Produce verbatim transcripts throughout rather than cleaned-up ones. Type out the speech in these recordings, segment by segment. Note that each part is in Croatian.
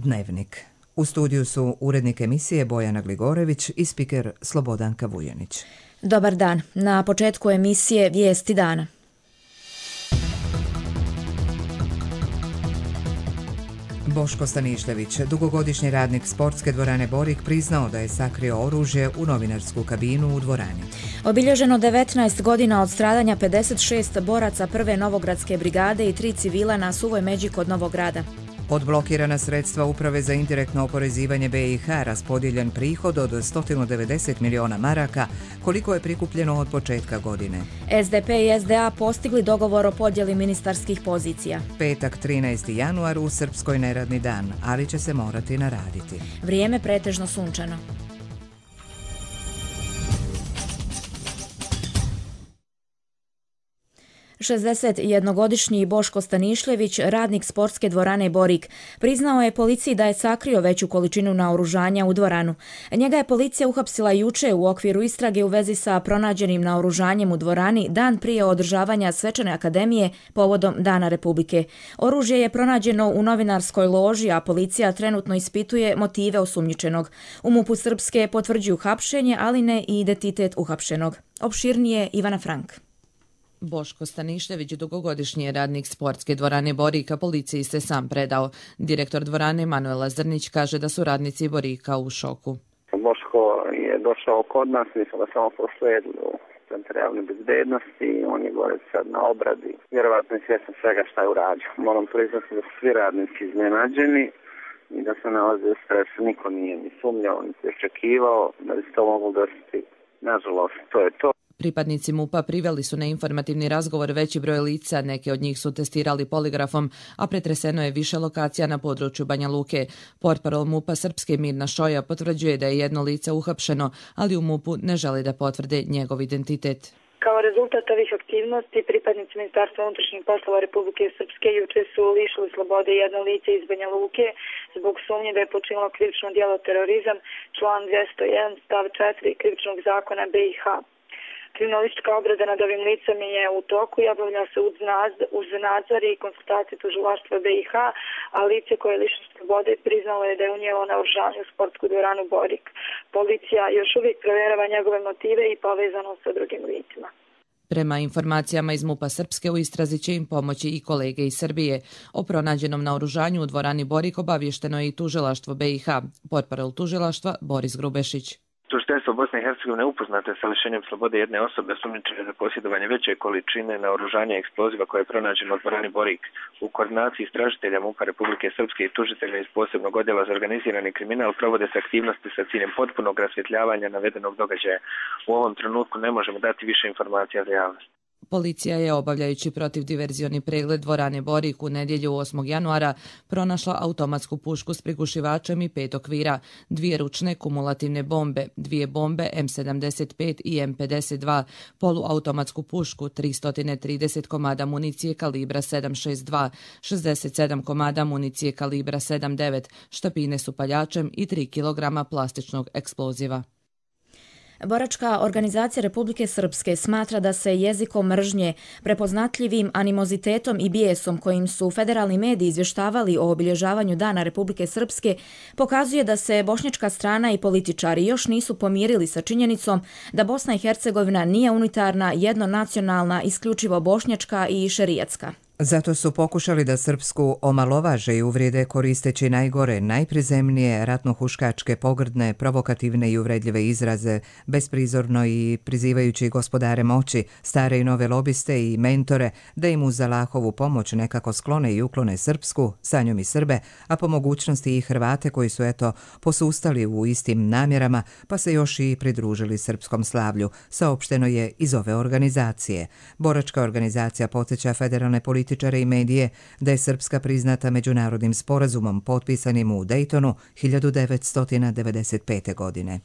Dnevnik. U studiju su urednik emisije Bojana Gligorević i spiker Slobodanka Vujanić. Dobar dan. Na početku emisije Vijesti dana. Boško Stanišljević, dugogodišnji radnik sportske dvorane Borik, priznao da je sakrio oružje u novinarsku kabinu u dvorani. Obilježeno devetnaest godina od stradanja pedeset šest boraca prve Novogradske brigade i tri civila na Suvoj Međi kod Novog Grada. Odblokirana sredstva Uprave za indirektno oporezivanje B i H, raspodijeljen prihod od sto devedeset miliona maraka, koliko je prikupljeno od početka godine. S D P i S D A postigli dogovor o podjeli ministarskih pozicija. Petak trinaesti januar u Srpskoj neradni dan, ali će se morati naraditi. Vrijeme pretežno sunčano. šezdesetjednogodišnji Boško Stanišljević, radnik sportske dvorane Borik, priznao je policiji da je sakrio veću količinu naoružanja u dvoranu. Njega je policija uhapsila juče u okviru istrage u vezi sa pronađenim naoružanjem u dvorani dan prije održavanja svečane akademije povodom Dana Republike. Oružje je pronađeno u novinarskoj loži, a policija trenutno ispituje motive osumnjičenog. U MUP-u Srpske potvrđuju hapšenje, ali ne i identitet uhapšenog. Opširnije Ivana Frank. Boško Stanišljević, dugogodišnji je radnik sportske dvorane Borika, policiji se sam predao. Direktor dvorane Manuela Zrnić kaže da su radnici Borika u šoku. Boško je došao kod nas, mi smo ga samo proslijedili u Centar javne bezbednosti, on je gore sad na obradi. Vjerovatno je svjestan svega šta je uradio. Moram priznati da su svi radnici iznenađeni i da se nalaze u stresu. Niko nije ni sumnjao, ni se očekivao da bi se to moglo desiti. Nažalost, to je to. Pripadnici MUP-a priveli su na informativni razgovor veći broj lica, neke od njih su testirali poligrafom, a pretreseno je više lokacija na području Banja Luke. Portparol MUP-a Srpske Mirna Šoja potvrđuje da je jedno lice uhapšeno, ali u MUP-u ne želi da potvrde njegov identitet. Kao rezultat ovih aktivnosti, pripadnici Ministarstva unutrašnjih poslova Republike Srpske juče su lišili slobode jedno lice iz Banja Luke zbog sumnje da je počinilo krivično djelo terorizam, član dvjesto jedan stav četiri krivičnog zakona B i H. Kriminalistička obrada nad ovim licem je u toku i obavlja se uz nadzor i konsultacije tužilaštva B i H, a lice koje je lišeno slobode priznalo je da je unijelo naoružanje u sportsku dvoranu Borik. Policija još uvijek provjerava njegove motive i povezanost sa drugim licima. Prema informacijama iz MUP-a Srpske, u istrazi će im pomoći i kolege iz Srbije. O pronađenom naoružanju u dvorani Borik obavješteno je i tužilaštvo B i H. Portparol tužilaštva Boris Grubešić. Tužiteljstvo Bosne i Hercegovine upoznato je sa lišenjem slobode jedne osobe osumnjičene za posjedovanje veće količine naoružanja i eksploziva koje je pronađeno u dvorani Borik. U koordinaciji istražitelja MUP-a Republike Srpske i tužitelja iz posebnog odjela za organizirani kriminal provode se aktivnosti sa ciljem potpunog rasvjetljavanja navedenog događaja. U ovom trenutku ne možemo dati više informacija za javnost. Policija je, obavljajući protivdiverzioni pregled dvorane Borik u nedjelju osmog januara, pronašla automatsku pušku s prigušivačem i pet okvira, dvije ručne kumulativne bombe, dvije bombe M sedamdeset pet i M pedeset dva, poluautomatsku pušku, tristo trideset komada municije kalibra sedam šezdeset dva, šezdeset sedam komada municije kalibra sedam devet, štapine s upaljačem i tri kilograma plastičnog eksploziva. Boračka organizacija Republike Srpske smatra da se jezikom mržnje, prepoznatljivim animozitetom i bijesom kojim su federalni mediji izvještavali o obilježavanju Dana Republike Srpske pokazuje da se bošnjačka strana i političari još nisu pomirili sa činjenicom da Bosna i Hercegovina nije unitarna, jednonacionalna, isključivo bošnjačka i šerijatska. Zato su pokušali da srpsku omalovaže i uvrijede koristeći najgore, najprizemnije, ratnohuškačke, pogrdne, provokativne i uvredljive izraze, besprizorno i prizivajući gospodare moći, stare i nove lobiste i mentore, da im uz Allahovu pomoć nekako sklone i uklone srpsku, sa njom i Srbe, a po mogućnosti i Hrvate koji su eto posustali u istim namjerama, pa se još i pridružili srpskom slavlju, saopšteno je iz ove organizacije. Boračka organizacija podsjeća federalne politike političare i medije da je Srpska priznata međunarodnim sporazumom potpisanim u Dejtonu hiljadu devetsto devedeset pete. godine.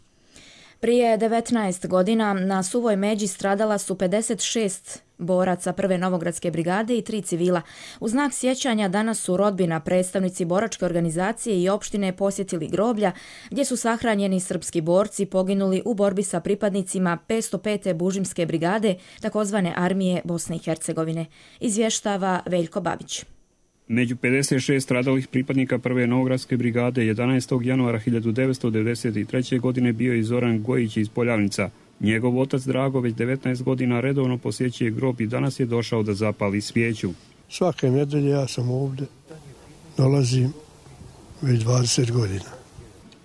Prije devetnaest godina na Suvoj Međi stradala su pedeset šest boraca prve Novogradske brigade i tri civila. U znak sjećanja danas su rodbina, predstavnici boračke organizacije i opštine posjetili groblja gdje su sahranjeni srpski borci poginuli u borbi sa pripadnicima petsto pete Bužimske brigade, takozvane armije Bosne i Hercegovine. Izvještava Veljko Babić. Među pedeset šest stradalih pripadnika prve Novogradske brigade jedanaestog januara hiljadu devetsto devedeset treće. godine bio je Zoran Gojić iz Poljavnica. Njegov otac Drago već devetnaest godina redovno posjećuje grob i danas je došao da zapali svijeću. Svake nedelje ja sam ovdje, dolazim već dvadeset godina.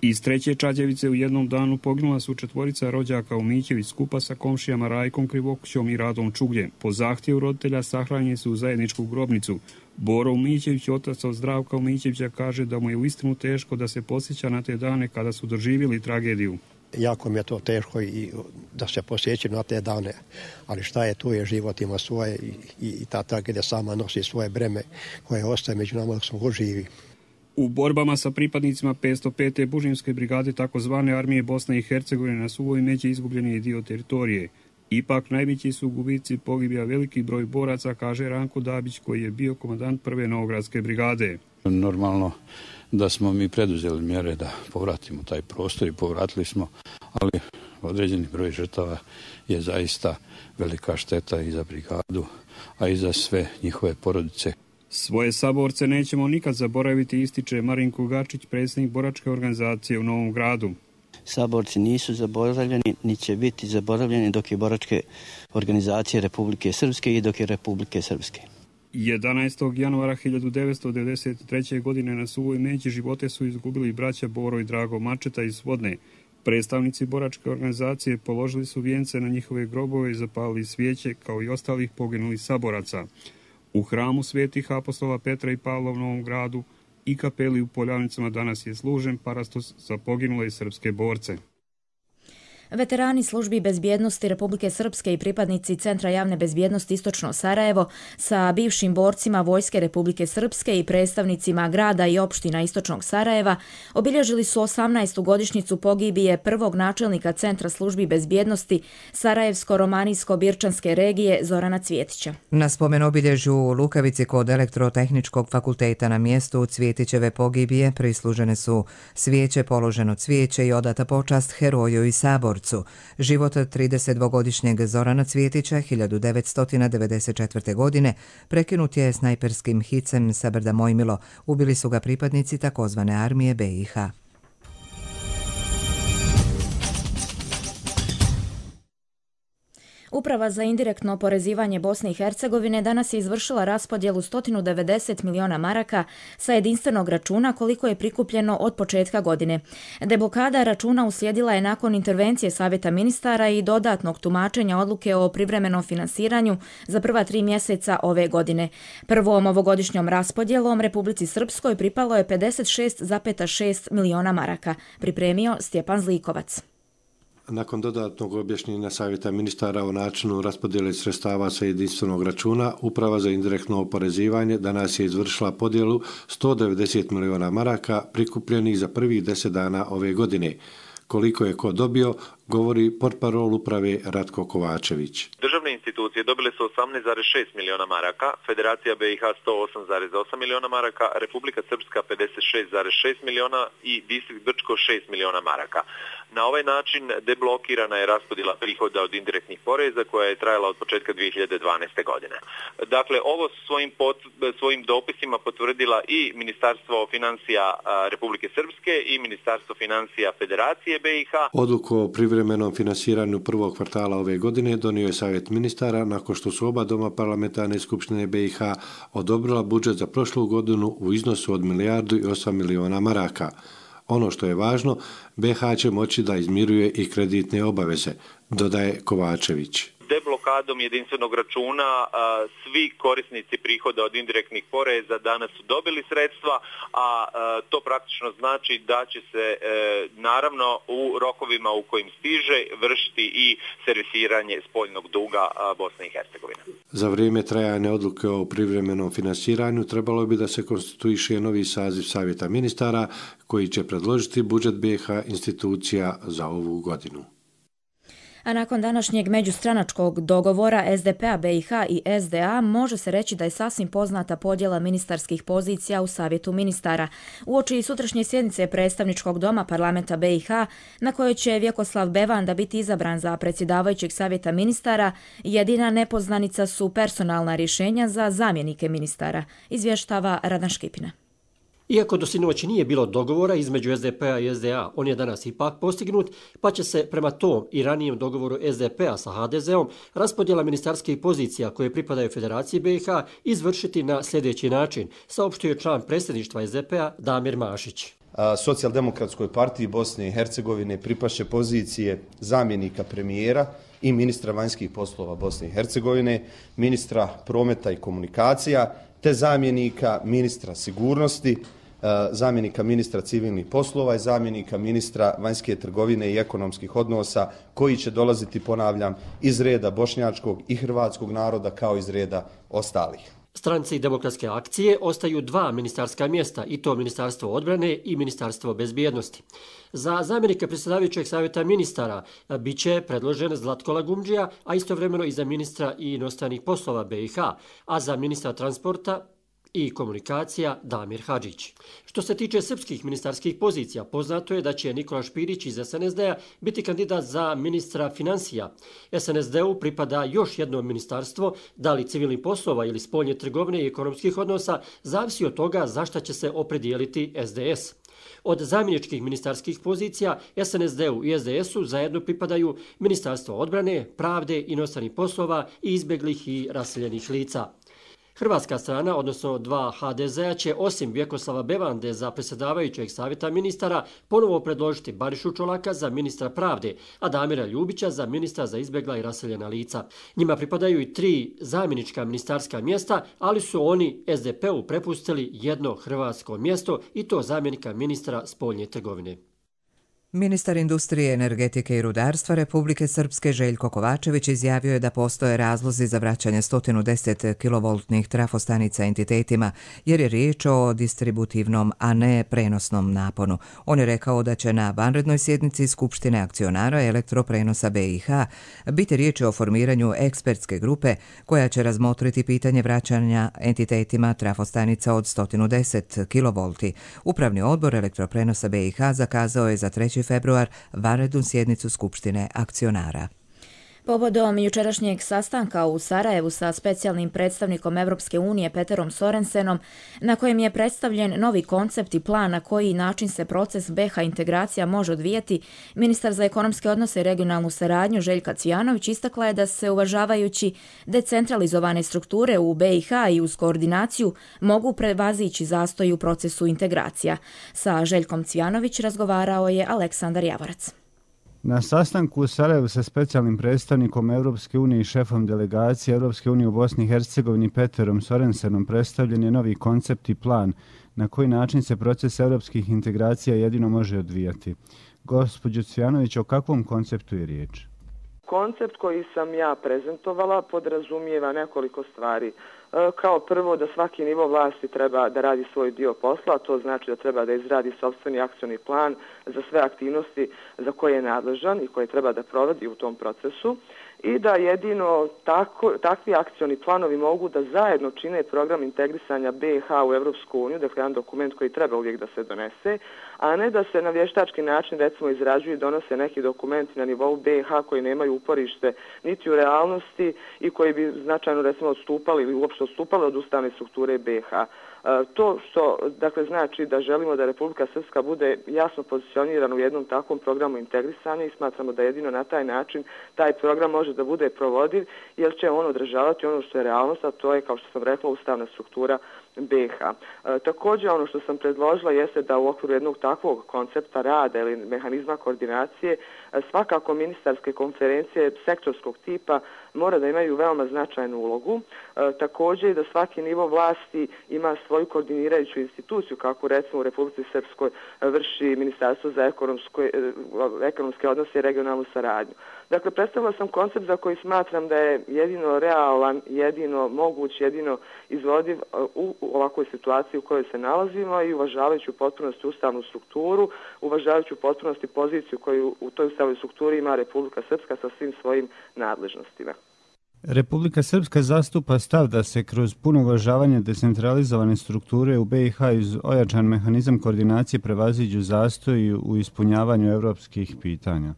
Iz treće Čađevice u jednom danu poginula su četvorica rođaka Umićević skupa sa komšijama Rajkom Krivokućom i Radom Čugljem. Po zahtjevu roditelja sahranjeni su u zajedničku grobnicu. Boro Umićević, otac od Zdravka Umićevića, kaže da mu je uistinu teško da se posjeća na te dane kada su doživjeli tragediju. Jako mi je to teško i da se posjećam na te dane, ali šta je, tu je, život ima svoje i, i, i ta tragedija sama nosi svoje breme koje ostaje među nama dok smo go živi. U borbama sa pripadnicima petsto pete. Bužimske brigade takozvane armije Bosne i Hercegovine na Suvoj Međi izgubljen je dio teritorije. Ipak najveći su gubici, pogibija veliki broj boraca, kaže Ranko Dabić koji je bio komandant prve Novogradske brigade. Normalno da smo mi preduzeli mjere da povratimo taj prostor i povratili smo, ali određeni broj žrtava je zaista velika šteta i za brigadu, a i za sve njihove porodice. Svoje saborce nećemo nikad zaboraviti, ističe Marinko Gačić, predsjednik boračke organizacije u Novom Gradu. Saborci nisu zaboravljeni, ni će biti zaboravljeni dok je boračke organizacije Republike Srpske i dok je Republike Srpske. jedanaestog januara hiljadu devetsto devedeset treće. godine na Suvoj Međi živote su izgubili braća Boro i Drago Mačeta iz Vodne. Predstavnici boračke organizacije položili su vijence na njihove grobove i zapalili svijeće kao i ostalih poginulih saboraca. U hramu svetih apostola Petra i Pavla u Novom Gradu i kapeli u Poljavnicama danas je služen parastos za poginule srpske borce. Veterani službi bezbjednosti Republike Srpske i pripadnici Centra javne bezbjednosti Istočno Sarajevo sa bivšim borcima Vojske Republike Srpske i predstavnicima grada i opština Istočnog Sarajeva obilježili su osamnaestu godišnjicu pogibije prvog načelnika Centra službi bezbjednosti Sarajevsko-Romanijsko-Birčanske regije Zorana Cvjetića. Na spomen obilježju u Lukavici kod Elektrotehničkog fakulteta na mjestu Cvjetićeve pogibije prislužene su svijeće, položeno cvijeće i odata počast heroju i sabor. Život tridesetdvogodišnjeg Zorana Cvjetića hiljadu devetsto devedeset četvrte. godine prekinut je snajperskim hicem sa brda Mojmilo. Ubili su ga pripadnici takozvane armije B i H. Uprava za indirektno oporezivanje Bosne i Hercegovine danas je izvršila raspodjelu sto devedeset miliona maraka sa jedinstvenog računa koliko je prikupljeno od početka godine. Deblokada računa uslijedila je nakon intervencije Savjeta ministara i dodatnog tumačenja odluke o privremenom finansiranju za prva tri mjeseca ove godine. Prvom ovogodišnjom raspodjelom Republici Srpskoj pripalo je pedeset šest zarez šest miliona maraka, pripremio Stjepan Zlikovac. Nakon dodatnog objašnjenja Savjeta ministara o načinu raspodjele sredstava sa jedinstvenog računa, Uprava za indirektno oporezivanje danas je izvršila podjelu sto devedeset miliona maraka prikupljenih za prvih deset dana ove godine. Koliko je ko dobio, govori portparol uprave Ratko Kovačević. Državne institucije dobile su osamnaest zarez šest miliona maraka, Federacija B i H sto osam zarez osam miliona maraka, Republika Srpska pedeset šest zarez šest miliona i Distrikt Brčko šest miliona maraka. Na ovaj način deblokirana je raspodjela prihoda od indirektnih poreza koja je trajala od početka dvije hiljade dvanaeste. godine. Dakle, ovo svojim, pot, svojim dopisima potvrdila i Ministarstvo financija Republike Srpske i Ministarstvo financija Federacije B i H. Odluku o privremenom finansiranju prvog kvartala ove godine donio je Savjet ministara nakon što su oba doma parlamentarne skupštine B i H odobrila budžet za prošlu godinu u iznosu od milijardu i osam miliona maraka. Ono što je važno, B i H će moći da izmiruje i kreditne obaveze, dodaje Kovačević. Deblokadom jedinstvenog računa svi korisnici prihoda od indirektnih poreza danas su dobili sredstva, a to praktično znači da će se naravno u rokovima u kojim stiže vršiti i servisiranje spoljnog duga Bosne i Hercegovine. Za vrijeme trajanja odluke o privremenom finansiranju trebalo bi da se konstituiše novi saziv Savjeta ministara koji će predložiti budžet B i H institucija za ovu godinu. A nakon današnjeg međustranačkog dogovora es de pe a be i ha i es de a može se reći da je sasvim poznata podjela ministarskih pozicija u Savjetu ministara. Uoči sutrašnje sjednice predstavničkog doma parlamenta be i ha, na kojoj će Vjekoslav Bevanda biti izabran za predsjedavajućeg Savjeta ministara, jedina nepoznanica su personalna rješenja za zamjenike ministara, izvještava Radan Škipina. Iako do sinoć nije bilo dogovora između es de pe a i es de a, on je danas ipak postignut, pa će se prema tom i ranijem dogovoru es de pe a sa ha de zeom raspodjela ministarskih pozicija koje pripadaju Federaciji be i ha izvršiti na sljedeći način, saopštio je član predsjedništva es de pe a Damir Mašić. Socijaldemokratskoj partiji Bosne i Hercegovine pripaše pozicije zamjenika premijera i ministra vanjskih poslova Bosne i Hercegovine, ministra prometa i komunikacija, te zamjenika ministra sigurnosti, zamjenika ministra civilnih poslova i zamjenika ministra vanjske trgovine i ekonomskih odnosa, koji će dolaziti, ponavljam, iz reda bošnjačkog i hrvatskog naroda kao iz reda ostalih. Stranci Demokratske akcije ostaju dva ministarska mjesta, i to Ministarstvo odbrane i Ministarstvo bezbjednosti. Za zamjenika predsjedavajućeg Savjeta ministara bit će predložen Zlatko Lagumdžija, a istovremeno i za ministra i inostranih poslova be i ha, a za ministra transporta i komunikacija Damir Hadžić. Što se tiče srpskih ministarskih pozicija, poznato je da će Nikola Špirić iz es en es de a biti kandidat za ministra financija. es en es de u pripada još jedno ministarstvo, da li civilnih poslova ili spoljne trgovine i ekonomskih odnosa, zavisi od toga za šta će se opredijeliti es de es. Od zamjeničkih ministarskih pozicija es en es de u i es de esu zajedno pripadaju Ministarstvo odbrane, pravde, inostranih poslova i izbjeglih i raseljenih lica. Hrvatska strana, odnosno dva ha de zea, će osim Vjekoslava Bevande za predsjedavajućeg Savjeta ministara ponovo predložiti Barišu Čolaka za ministra pravde, a Damira Ljubića za ministra za izbjegla i raseljena lica. Njima pripadaju i tri zamjenička ministarska mjesta, ali su oni es de pe u prepustili jedno hrvatsko mjesto, i to zamjenika ministra spoljne trgovine. Ministar industrije, energetike i rudarstva Republike Srpske Željko Kovačević izjavio je da postoje razlozi za vraćanje sto deset kilovoltnih trafostanica entitetima, jer je riječ o distributivnom, a ne prenosnom naponu. On je rekao da će na vanrednoj sjednici Skupštine akcionara elektroprenosa be i ha biti riječ o formiranju ekspertske grupe koja će razmotriti pitanje vraćanja entitetima trafostanica od sto deset kilovolti. Upravni odbor elektroprenosa be i ha zakazao je za treći februar vanrednu sjednicu Skupštine akcionara. Povodom jučerašnjeg sastanka u Sarajevu sa specijalnim predstavnikom Evropske unije Peterom Sorensenom, na kojem je predstavljen novi koncept i plan na koji način se proces be ha integracija može odvijati, ministar za ekonomske odnose i regionalnu saradnju Željka Cvijanović istakla je da se, uvažavajući decentralizovane strukture u be i ha i uz koordinaciju, mogu prevazići zastoj u procesu integracija. Sa Željkom Cvijanović razgovarao je Aleksandar Javorac. Na sastanku u Sarajevu sa specijalnim predstavnikom Evropske unije i šefom delegacije Evropske unije u Bosni i Hercegovini Peterom Sorensenom predstavljen je novi koncept i plan na koji način se proces evropskih integracija jedino može odvijati. Gospođo Cvijanović, o kakvom konceptu je riječ? Koncept koji sam ja prezentovala podrazumijeva nekoliko stvari. Kao prvo, da svaki nivo vlasti treba da radi svoj dio posla, to znači da treba da izradi sopstveni akcioni plan za sve aktivnosti za koje je nadležan i koje treba da provodi u tom procesu, i da jedino tako, takvi akcioni planovi mogu da zajedno čine program integrisanja be i ha u Evropsku uniju, dakle jedan dokument koji treba uvijek da se donese, a ne da se na vještački način recimo izrađuju i donose neki dokumenti na nivou be i ha koji nemaju uporište niti u realnosti i koji bi značajno recimo odstupali ili uopšte odstupali od ustavne strukture be i ha. To što dakle znači da želimo da Republika Srpska bude jasno pozicionirana u jednom takvom programu integrisanja, i smatramo da jedino na taj način taj program može da bude provodiv, jer će on održavati ono što je realnost, a to je, kao što sam rekla, ustavna struktura be i ha. E, također ono što sam predložila jeste da u okviru jednog takvog koncepta rada ili mehanizma koordinacije svakako ministarske konferencije sektorskog tipa mora da imaju veoma značajnu ulogu. E, također da svaki nivo vlasti ima svoju koordinirajuću instituciju, kako recimo u Republici Srpskoj vrši Ministarstvo za ekonomske odnose i regionalnu saradnju. Dakle, predstavila sam koncept za koji smatram da je jedino realan, jedino moguć, jedino izvodiv u, ovakvoj situaciji u kojoj se nalazimo i uvažavajući u potpunosti ustavnu strukturu, uvažavajući u potpunosti poziciju koju u toj ustavnoj strukturi ima Republika Srpska sa svim svojim nadležnostima. Republika Srpska zastupa stav da se kroz puno uvažavanje decentralizovane strukture u B i H iz ojačan mehanizam koordinacije prevaziđu zastoji u ispunjavanju evropskih pitanja.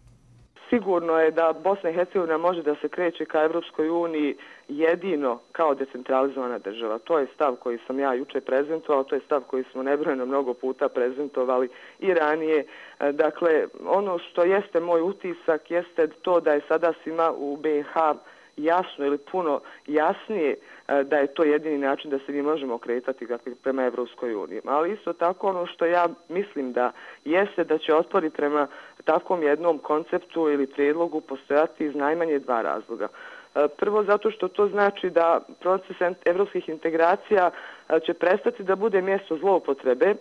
Sigurno je da Bosna i Hercegovina može da se kreće ka Evropskoj uniji jedino kao decentralizovana država. To je stav koji sam ja juče prezentovao, to je stav koji smo nebrojeno mnogo puta prezentovali i ranije. Dakle, ono što jeste moj utisak jeste to da je sada svima u B i H jasno ili puno jasnije da je to jedini način da se mi možemo kretati prema Evropskoj uniji. Ali isto tako ono što ja mislim da jeste da će otpori prema takvom jednom konceptu ili prijedlogu postojati iz najmanje dva razloga. Prvo zato što to znači da proces evropskih integracija će prestati da bude mjesto zloupotrebe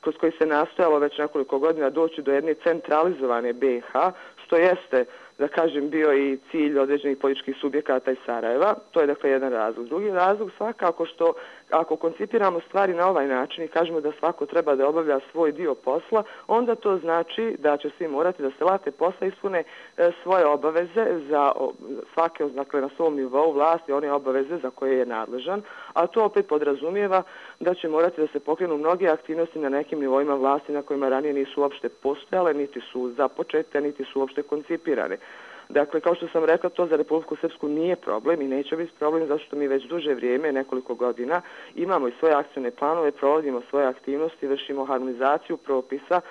kroz koji se nastojalo već nekoliko godina doći do jedne centralizovane B i H, što jeste, da kažem, bio i cilj određenih političkih subjekata iz Sarajeva. To je dakle jedan razlog. Drugi razlog svakako što ako koncipiramo stvari na ovaj način i kažemo da svako treba da obavlja svoj dio posla, onda to znači da će svi morati da se late posla ispune e, svoje obaveze za o, svake, dakle na svom nivou vlasti, one obaveze za koje je nadležan, a to opet podrazumijeva da će morati da se pokrenu mnoge aktivnosti na nekim nivoima vlasti na kojima ranije nisu uopšte postojale, niti su započete, niti su uopšte koncipirane. Dakle, kao što sam rekla, to za Republiku Srpsku nije problem i neće biti problem zato što mi već duže vrijeme, nekoliko godina, imamo i svoje akcijne planove, provodimo svoje aktivnosti, vršimo harmonizaciju propisa,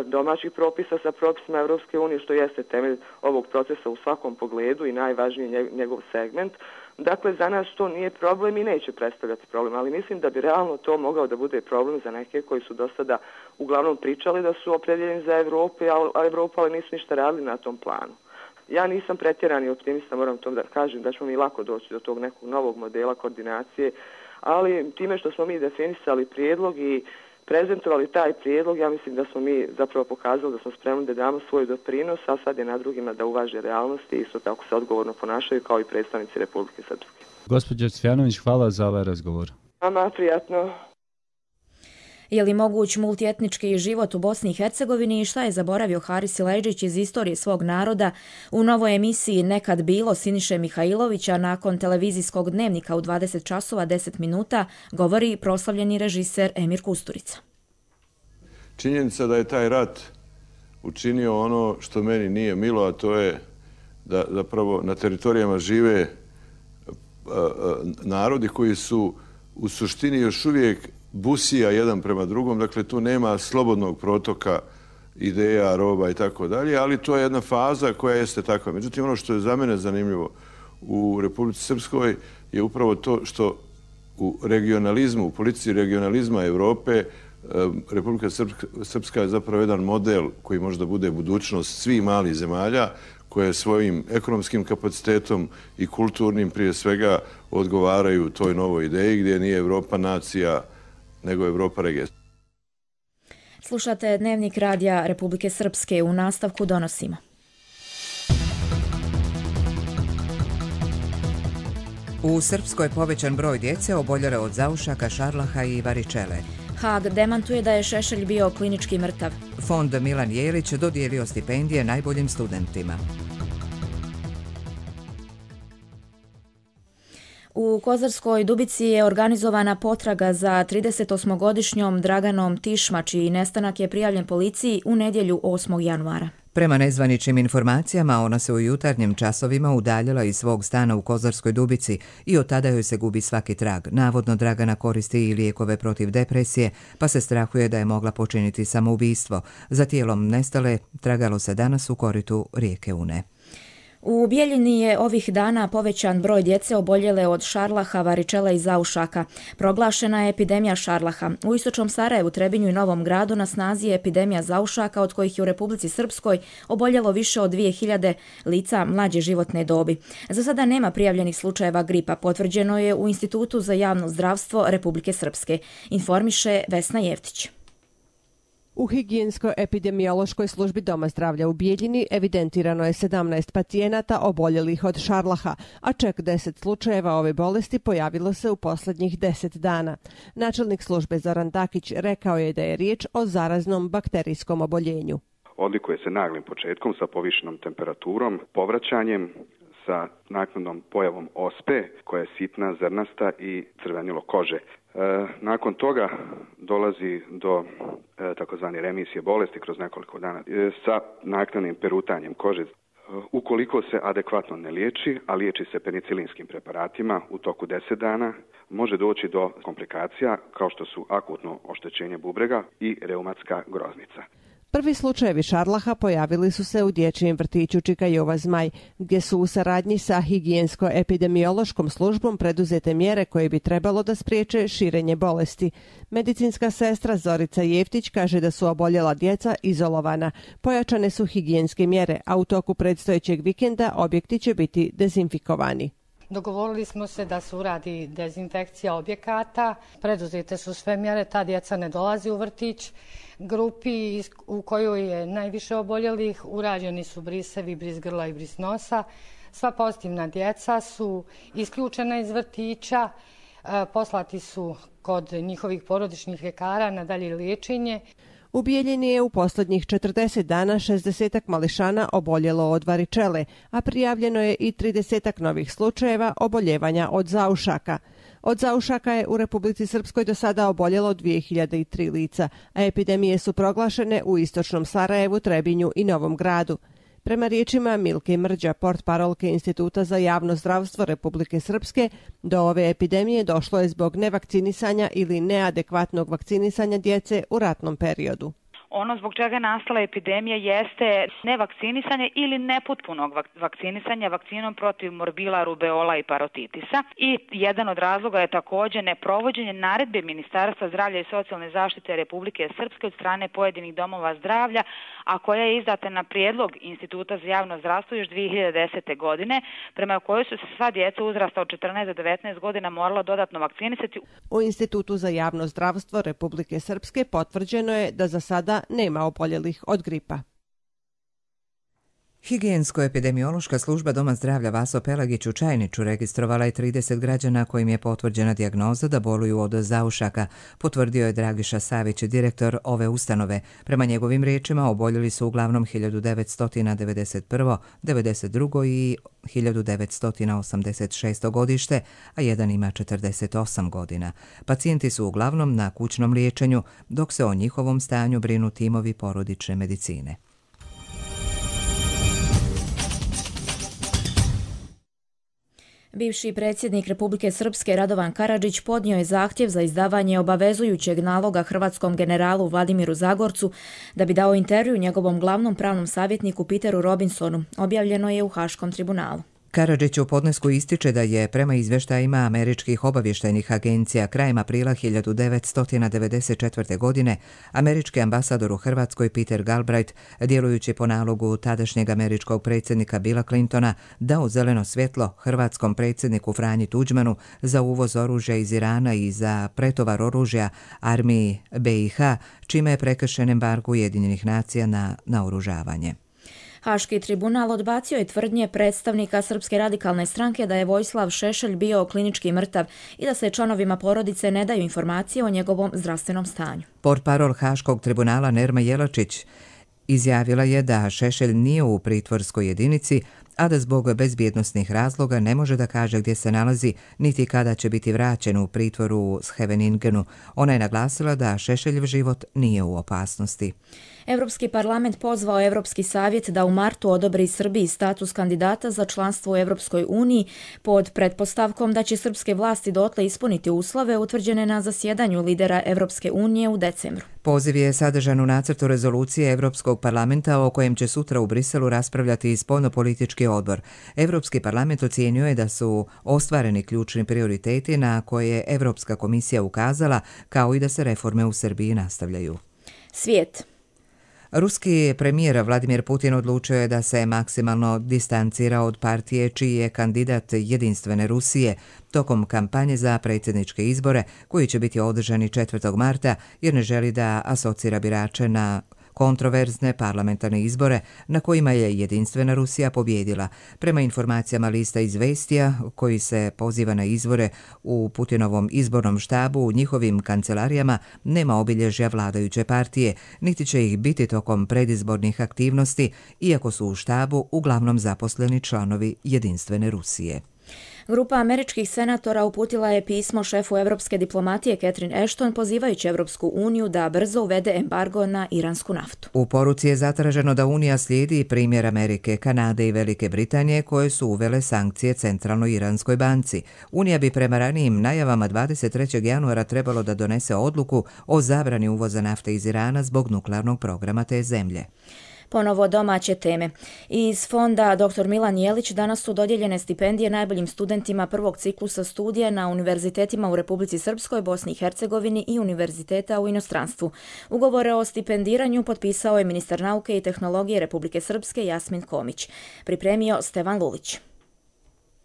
domaćih propisa sa propisima Evropske unije, što jeste temelj ovog procesa u svakom pogledu i najvažniji njegov segment. Dakle, za nas to nije problem i neće predstavljati problem, ali mislim da bi realno to mogao da bude problem za neke koji su do sada uglavnom pričali da su opredjeljeni za Evropu, a Evropu, ali nisu ništa radili na tom planu. Ja nisam pretjerani optimista, moram to da kažem, da ćemo mi lako doći do tog nekog novog modela koordinacije, ali time što smo mi definisali prijedlog i prezentovali taj prijedlog, ja mislim da smo mi zapravo pokazali da smo spremni da damo svoj doprinos, a sad je na drugima da uvaže realnosti i isto tako se odgovorno ponašaju kao i predstavnici Republike Srpske. Gospođo Cvjanović, hvala za ovaj razgovor. Vama prijatno. Je li moguć multietnički život u Bosni i Hercegovini i šta je zaboravio Haris Silajdžić iz istorije svog naroda u novoj emisiji Nekad bilo Siniše Mihajlovića nakon televizijskog dnevnika u dvadeset časova deset minuta, govori proslavljeni režiser Emir Kusturica. Činjenica da je taj rat učinio ono što meni nije milo, a to je da zapravo na teritorijama žive narodi koji su u suštini još uvijek busija jedan prema drugom, dakle tu nema slobodnog protoka ideja, roba i tako dalje, ali to je jedna faza koja jeste takva. Međutim, ono što je za mene zanimljivo u Republici Srpskoj je upravo to što u regionalizmu, u politici regionalizma Evrope, Republika Srpska je zapravo jedan model koji možda bude budućnost svih malih zemalja koje svojim ekonomskim kapacitetom i kulturnim prije svega odgovaraju toj novoj ideji gdje nije Evropa nacija nego Evropa regija. Slušate Dnevnik radija Republike Srpske, u nastavku donosimo. U Srpskoj je povećan broj djece oboljele od zaušaka, šarlaha i varičele. Haag demantuje da je Šešelj bio klinički mrtav. Fond Milan Jelić dodijelio stipendije najboljim studentima. U Kozarskoj Dubici je organizovana potraga za tridesetosmogodišnjom Draganom Tišma, čiji nestanak je prijavljen policiji u nedjelju osmog januara. Prema nezvaničnim informacijama, ona se u jutarnjim časovima udaljila iz svog stana u Kozarskoj Dubici i od tada joj se gubi svaki trag. Navodno Dragana koristi i lijekove protiv depresije, pa se strahuje da je mogla počiniti samoubistvo. Za tijelom nestale tragalo se danas u koritu rijeke Une. U Bijeljini je ovih dana povećan broj djece oboljele od šarlaha, varičela i zaušaka. Proglašena je epidemija šarlaha. U istočnom Sarajevu, Trebinju i Novom Gradu na snazi je epidemija zaušaka, od kojih je u Republici Srpskoj oboljelo više od dvije hiljade lica mlađe životne dobi. Za sada nema prijavljenih slučajeva gripa, potvrđeno je u Institutu za javno zdravstvo Republike Srpske, informiše Vesna Jevtić. U higijensko-epidemiološkoj službi Doma zdravlja u Bijeljini evidentirano je sedamnaest pacijenata oboljelih od šarlaha, a čak deset slučajeva ove bolesti pojavilo se u posljednjih deset dana. Načelnik službe Zoran Dakić rekao je da je riječ o zaraznom bakterijskom oboljenju. Odlikuje se naglim početkom sa povišenom temperaturom, povraćanjem, sa naknadnom pojavom ospe koja je sitna, zrnasta i crvenilo kože. E, nakon toga dolazi do e, takozvane remisije bolesti kroz nekoliko dana e, sa naknadnim perutanjem kože. E, ukoliko se adekvatno ne liječi, a liječi se penicilinskim preparatima u toku deset dana, može doći do komplikacija kao što su akutno oštećenje bubrega i reumatska groznica. Prvi slučajevi šarlaha pojavili su se u dječjem vrtiću Čika Jova Zmaj, gdje su u saradnji sa higijensko-epidemiološkom službom preduzete mjere koje bi trebalo da spriječe širenje bolesti. Medicinska sestra Zorica Jeftić kaže da su oboljela djeca izolovana. Pojačane su higijenske mjere, a u toku predstojećeg vikenda objekti će biti dezinfikovani. Dogovorili smo se da se uradi dezinfekcija objekata, preduzete su sve mjere, ta djeca ne dolazi u vrtić. Grupi u kojoj je najviše oboljelih urađeni su brisevi, bris grla i bris nosa. Sva pozitivna djeca su isključena iz vrtića, poslati su kod njihovih porodičnih ljekara na dalje liječenje. U Bijeljini je u posljednjih četrdeset dana šezdesetak mališana oboljelo od varičele, a prijavljeno je i tridesetak novih slučajeva oboljevanja od zaušaka. Od zaušaka je u Republici Srpskoj do sada oboljelo dvije hiljade tri lica, a epidemije su proglašene u istočnom Sarajevu, Trebinju i Novom Gradu. Prema riječima Milke Mrđa, portparolke Instituta za javno zdravstvo Republike Srpske, do ove epidemije došlo je zbog nevakcinisanja ili neadekvatnog vakcinisanja djece u ratnom periodu. Ono zbog čega je nastala epidemija jeste nevakcinisanje ili nepotpunog vakcinisanja vakcinom protiv morbila, rubeola i parotitisa. I jedan od razloga je također neprovođenje naredbe Ministarstva zdravlja i socijalne zaštite Republike Srpske od strane pojedinih domova zdravlja, a koja je izdata na prijedlog Instituta za javno zdravstvo još dvije hiljade desete. godine, prema kojoj su se sva djeca uzrasta od četrnaest do devetnaest godina morala dodatno vakcinisati. U Institutu za javno zdravstvo Republike Srpske potvrđeno je da za sada nema oboljelih od gripa. Higijensko-epidemiološka služba Doma zdravlja Vaso Pelagić u Čajniću registrovala je trideset građana kojim je potvrđena dijagnoza da boluju od zaušaka, potvrdio je Dragiša Savić, direktor ove ustanove. Prema njegovim riječima oboljeli su uglavnom hiljadu devetsto devedeset prvo, devedeset drugo i hiljadu devetsto osamdeset šesto godište, a jedan ima četrdeset osam godina. Pacijenti su uglavnom na kućnom liječenju, dok se o njihovom stanju brinu timovi porodične medicine. Bivši predsjednik Republike Srpske Radovan Karadžić podnio je zahtjev za izdavanje obavezujućeg naloga hrvatskom generalu Vladimiru Zagorcu da bi dao intervju njegovom glavnom pravnom savjetniku Peteru Robinsonu, objavljeno je u Haškom tribunalu. Karadžić u podnesku ističe da je prema izvještajima američkih obavještajnih agencija krajem aprila hiljadu devetsto devedeset četvrte. godine američki ambasador u Hrvatskoj Peter Galbraith, djelujući po nalogu tadašnjeg američkog predsjednika Billa Clintona, dao zeleno svjetlo hrvatskom predsjedniku Franji Tuđmanu za uvoz oružja iz Irana i za pretovar oružja armiji B i H, čime je prekršen embargo Ujedinjenih nacija na naoružavanje. Haški tribunal odbacio je tvrdnje predstavnika Srpske radikalne stranke da je Vojislav Šešelj bio klinički mrtav i da se članovima porodice ne daju informacije o njegovom zdravstvenom stanju. Portparol Haškog tribunala Nerma Jelačić izjavila je da Šešelj nije u pritvorskoj jedinici, a da zbog bezbjednosnih razloga ne može da kaže gdje se nalazi niti kada će biti vraćen u pritvoru u Scheveningenu. Ona je naglasila da Šešeljev život nije u opasnosti. Europski parlament pozvao Europski savjet da u martu odobri Srbiji status kandidata za članstvo u Europskoj uniji pod pretpostavkom da će srpske vlasti dotle ispuniti uslove utvrđene na zasjedanju lidera Europske unije u decembru. Poziv je sadržan u nacrtu rezolucije Europskog parlamenta o kojem će sutra u Briselu raspravljati i spoljnopolitički odbor. Europski parlament ocijenio je da su ostvareni ključni prioriteti na koje je Europska komisija ukazala, kao i da se reforme u Srbiji nastavljaju. Svijet. Ruski premijer Vladimir Putin odlučio je da se maksimalno distancira od partije čiji je kandidat Jedinstvene Rusije tokom kampanje za predsjedničke izbore koji će biti održani četvrtog marta jer ne želi da asocira birače na kontroverzne parlamentarne izbore na kojima je Jedinstvena Rusija pobjedila. Prema informacijama lista Izvestija, koji se poziva na izvore u Putinovom izbornom štabu, u njihovim kancelarijama nema obilježja vladajuće partije, niti će ih biti tokom predizbornih aktivnosti, iako su u štabu uglavnom zaposleni članovi Jedinstvene Rusije. Grupa američkih senatora uputila je pismo šefu evropske diplomatije Catherine Ashton pozivajući Evropsku uniju da brzo uvede embargo na iransku naftu. U poruci je zatraženo da Unija slijedi primjer Amerike, Kanade i Velike Britanije koje su uvele sankcije Centralnoj Iranskoj banci. Unija bi prema ranijim najavama dvadeset trećeg januara trebalo da donese odluku o zabrani uvoza nafte iz Irana zbog nuklearnog programa te zemlje. Ponovo domaće teme. Iz fonda doktor Milan Jelić danas su dodijeljene stipendije najboljim studentima prvog ciklusa studija na univerzitetima u Republici Srpskoj, Bosni i Hercegovini i univerziteta u inostranstvu. Ugovore o stipendiranju potpisao je ministar nauke i tehnologije Republike Srpske Jasmin Komić. Pripremio Stevan Lulić.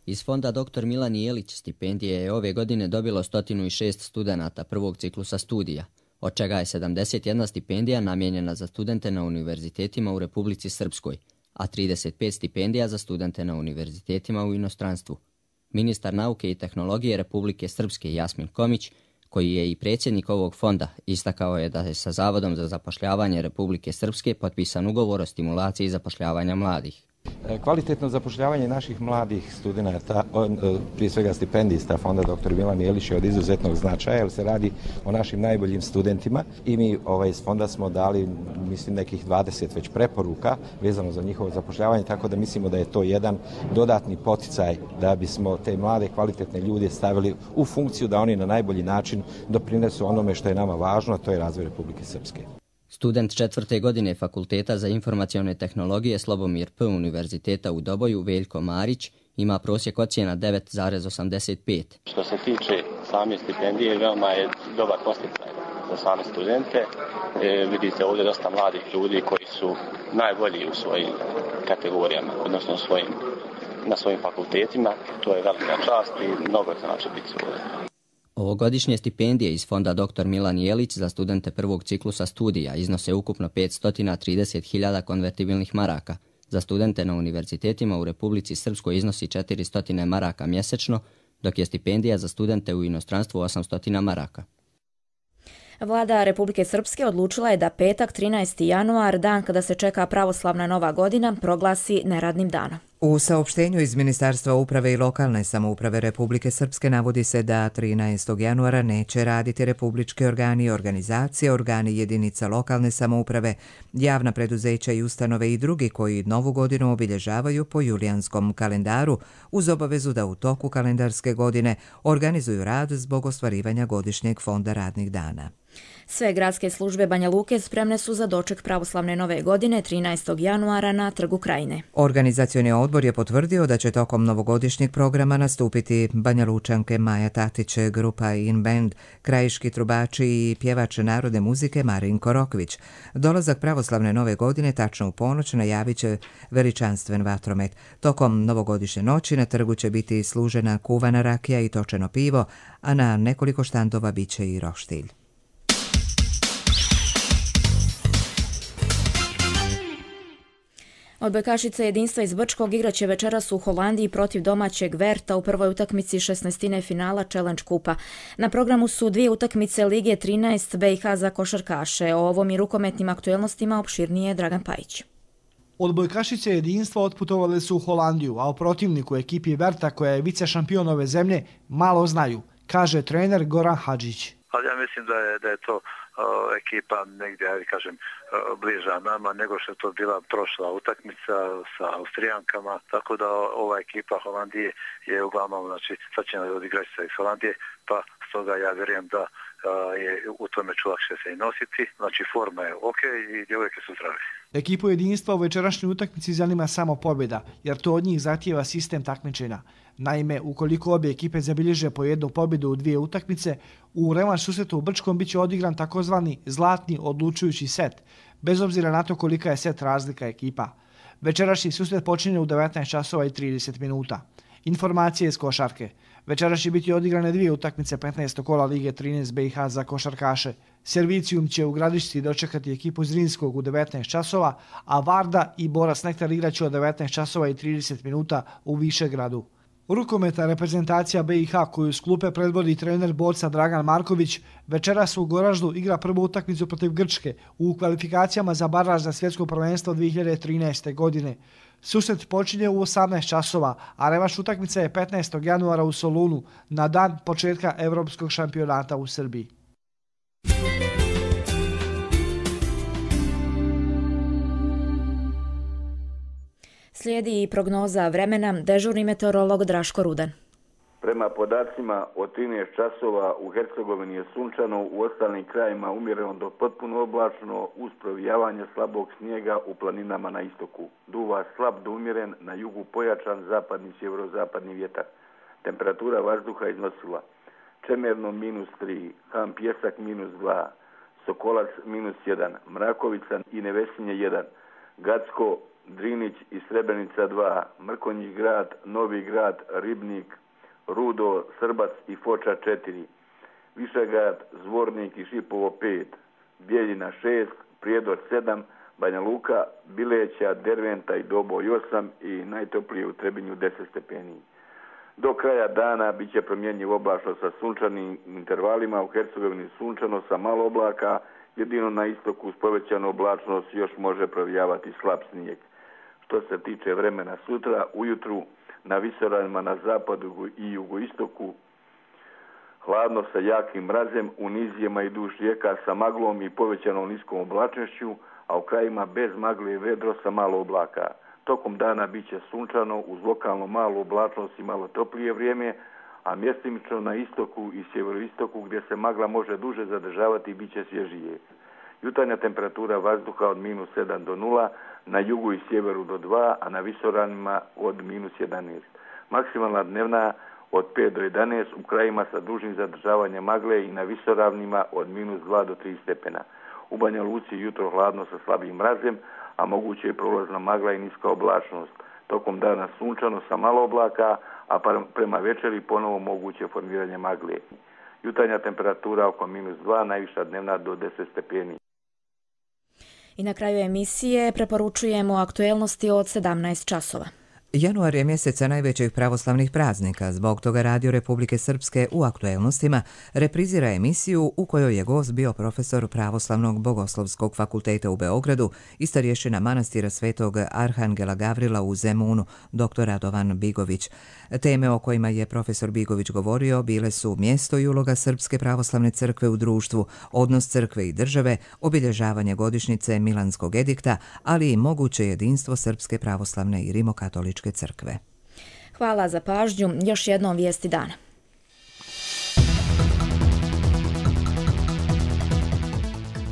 Iz fonda doktor Milan Jelić stipendije je ove godine dobilo sto šest studenata prvog ciklusa studija, od čega je sedamdeset jedna stipendija namijenjena za studente na univerzitetima u Republici Srpskoj, a trideset pet stipendija za studente na univerzitetima u inostranstvu. Ministar nauke i tehnologije Republike Srpske Jasmin Komić, koji je i predsjednik ovog fonda, istakao je da je sa Zavodom za zapošljavanje Republike Srpske potpisan ugovor o stimulaciji zapošljavanja mladih. Kvalitetno zapošljavanje naših mladih studenata, prije svega stipendista fonda doktor Milan Jelić, je od izuzetnog značaja jer se radi o našim najboljim studentima i mi ovaj, iz fonda smo dali mislim nekih dvadeset već preporuka vezano za njihovo zapošljavanje, tako da mislimo da je to jedan dodatni poticaj da bismo te mlade kvalitetne ljude stavili u funkciju da oni na najbolji način doprinesu onome što je nama važno, a to je razvoj Republike Srpske. Student četvrte godine Fakulteta za informacione tehnologije Slobomir P. Univerziteta u Doboju Veljko Marić ima prosjek ocjena devet zarez osamdeset pet. Što se tiče same stipendije, veoma je dobar posticaj za same studente. E, vidite ovdje dosta mladih ljudi koji su najbolji u svojim kategorijama, odnosno svojim, na svojim fakultetima. To je velika čast i mnogo znači biti ovdje. Ovogodišnje stipendije iz fonda doktor Milan Jelić za studente prvog ciklusa studija iznose ukupno petsto trideset hiljada konvertibilnih maraka. Za studente na univerzitetima u Republici Srpskoj iznosi četiristo maraka mjesečno, dok je stipendija za studente u inostranstvu osamsto maraka. Vlada Republike Srpske odlučila je da petak trinaesti januar, dan kada se čeka pravoslavna nova godina, proglasi neradnim danom. U saopštenju iz Ministarstva uprave i lokalne samouprave Republike Srpske navodi se da trinaestog januara neće raditi republički organi i organizacije, organi jedinica lokalne samouprave, javna preduzeća i ustanove i drugi koji novu godinu obilježavaju po julijanskom kalendaru uz obavezu da u toku kalendarske godine organizuju rad zbog ostvarivanja godišnjeg fonda radnih dana. Sve gradske službe Banja Luke spremne su za doček pravoslavne nove godine trinaestog januara na Trgu Krajine. Organizacioni odbor je potvrdio da će tokom novogodišnjeg programa nastupiti Banja Lučanke Maja Tatić, grupa In Band, krajiški trubači i pjevač narodne muzike Marinko Rokvić. Dolazak pravoslavne nove godine tačno u ponoć najavit će veličanstven vatromet. Tokom novogodišnje noći na trgu će biti služena kuvana rakija i točeno pivo, a na nekoliko štandova bit će i roštilj. Odbojkašice jedinstva iz Brčkog igraće večeras u Holandiji protiv domaćeg Verta u prvoj utakmici šesnaestine finala Challenge kupa. Na programu su dvije utakmice Lige trinaest B i H za košarkaše. O ovom i rukometnim aktuelnostima opširnije Dragan Pajić. Odbojkašice jedinstva otputovale su u Holandiju, a o protivniku ekipi Verta, koja je vice šampion ove zemlje, malo znaju, kaže trener Goran Hadžić. Ali ja mislim da je, da je to uh, ekipa negdje, ja kažem, uh, bliža nama nego što je to bila prošla utakmica sa Austrijankama, tako da ova ekipa Holandije je uglavnom, znači, sad će odigrati se iz Holandije, pa stoga ja vjerujem da je u tome ću lakše se i nositi. Znači forma je ok i djevojke su zdrave. Ekipu jedinstva u večerašnjoj utakmici zanima samo pobjeda, jer to od njih zahtijeva sistem takmičenja. Naime, ukoliko obje ekipe zabilježe po jednu pobjedu u dvije utakmice, u revanš susretu u Brčkom biće odigran takozvani zlatni odlučujući set, bez obzira na to kolika je set razlika ekipa. Večerašnji susret počinje u devetnaest časova i trideset minuta. Informacije iz košarke. Večeras će biti odigrane dvije utakmice petnaestog kola Lige trinaest B i H za košarkaše. Servicijum će u Gradišci dočekati ekipu Zrinskog u devetnaest časova, a Varda i Boras Nektar igraće od devetnaest časova i trideset minuta u Višegradu. Rukometna reprezentacija B i H koju s klupe predvodi trener borca Dragan Marković večeras u Goraždu igra prvu utakmicu protiv Grčke u kvalifikacijama za baraž za svjetsko prvenstvo dvije hiljade trinaeste. godine. Susret počinje u osamnaest časova, a revanš utakmica je petnaestog januara u Solunu na dan početka Evropskog šampionata u Srbiji. Slijedi i prognoza vremena, dežurni meteorolog Draško Rudan. Prema podacima od trinaest časova u Hercegovini je sunčano, u ostalim krajima umjereno do potpuno oblačno uz provijavanje slabog snijega u planinama na istoku. Duva slab do umjeren, na jugu pojačan zapadni sjeverozapadni vjetar. Temperatura vazduha iznosila Čemerno minus tri, Ham Pjesak minus dva, Sokolac minus jedan, Mrakovica i Nevesinje jedan, Gacko, Drinić i Srebrenica dva, Mrkonjić grad, Novi grad, Ribnik, Rudo, Srbac i Foča četiri, Višegrad, Zvornik i Šipovo pet, Bijeljina šest, Prijedor sedam, Banja Luka, Bileća, Derventa i Doboj osam i najtoplije u Trebinju deset stepeni. Do kraja dana bit će promjenjiv oblačno sa sunčanim intervalima, u Hercegovini sunčano sa malo oblaka, jedino na istoku uz povećanu oblačnost još može provijavati slab snijeg. Što se tiče vremena sutra, ujutru na visoravnima na zapadu i jugoistoku hladno sa jakim mrazem, u nizijama i duž rijeka sa maglom i povećanom niskom oblačnošću, a u krajima bez magle i vedro sa malo oblaka. Tokom dana bit će sunčano uz lokalno malu oblačnost i malo toplije vrijeme, a mjestimično na istoku i sjeveroistoku gdje se magla može duže zadržavati bit će svježije. Jutarnja temperatura vazduha od minus sedam do nula, na jugu i sjeveru do dva, a na visoravnima od minus jedanaest. Maksimalna dnevna od pet do jedanaest, u krajima sa dužim zadržavanjem magle i na visoravnima od minus dva do tri stepena. U Banja Luci jutro hladno sa slabim mrazem, a moguće je prolazna magla i niska oblačnost. Tokom dana sunčano sa malo oblaka, a prema večeri ponovo moguće formiranje magle. Jutarnja temperatura oko minus dva, najviša dnevna do deset stepeni. I na kraju emisije preporučujemo aktuelnosti od sedamnaest časova. Januar je mjeseca najvećih pravoslavnih praznika, zbog toga Radio Republike Srpske u aktuelnostima reprizira emisiju u kojoj je gost bio profesor Pravoslavnog bogoslovskog fakulteta u Beogradu i starješina manastira Svetog Arhangela Gavrila u Zemunu, doktor Radovan Bigović. Teme o kojima je profesor Bigović govorio bile su mjesto i uloga Srpske pravoslavne crkve u društvu, odnos crkve i države, obilježavanje godišnjice Milanskog edikta, ali i moguće jedinstvo Srpske pravoslavne i rimokatoličke crkve. Hvala za pažnju. Još jednom vijesti dana.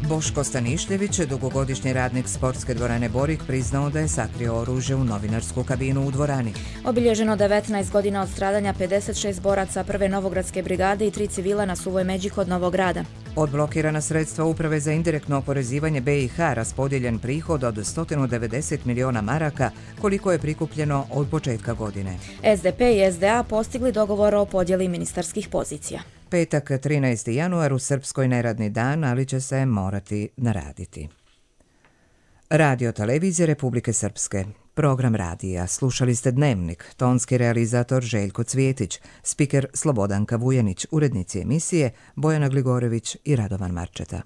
Boško Stanišljević, dugogodišnji radnik sportske dvorane Borik, priznao da je sakrio oružje u novinarsku kabinu u dvorani. Obilježeno devetnaest godina od stradanja pedeset šest boraca prve Novogradske brigade i tri civila na Suvoj Međi kod Novog Grada. Odblokirana sredstva Uprave za indirektno oporezivanje B i H, raspodijeljen prihod od sto devedeset miliona maraka, koliko je prikupljeno od početka godine. S D P i S D A postigli dogovor o podjeli ministarskih pozicija. Petak trinaesti januar u Srpskoj neradni dan, ali će se morati naraditi. Radio Televizija Republike Srpske. Program radija. Slušali ste Dnevnik, tonski realizator Željko Cvjetić, spiker Slobodanka Vujanić, urednici emisije Bojana Gligorević i Radovan Marčeta.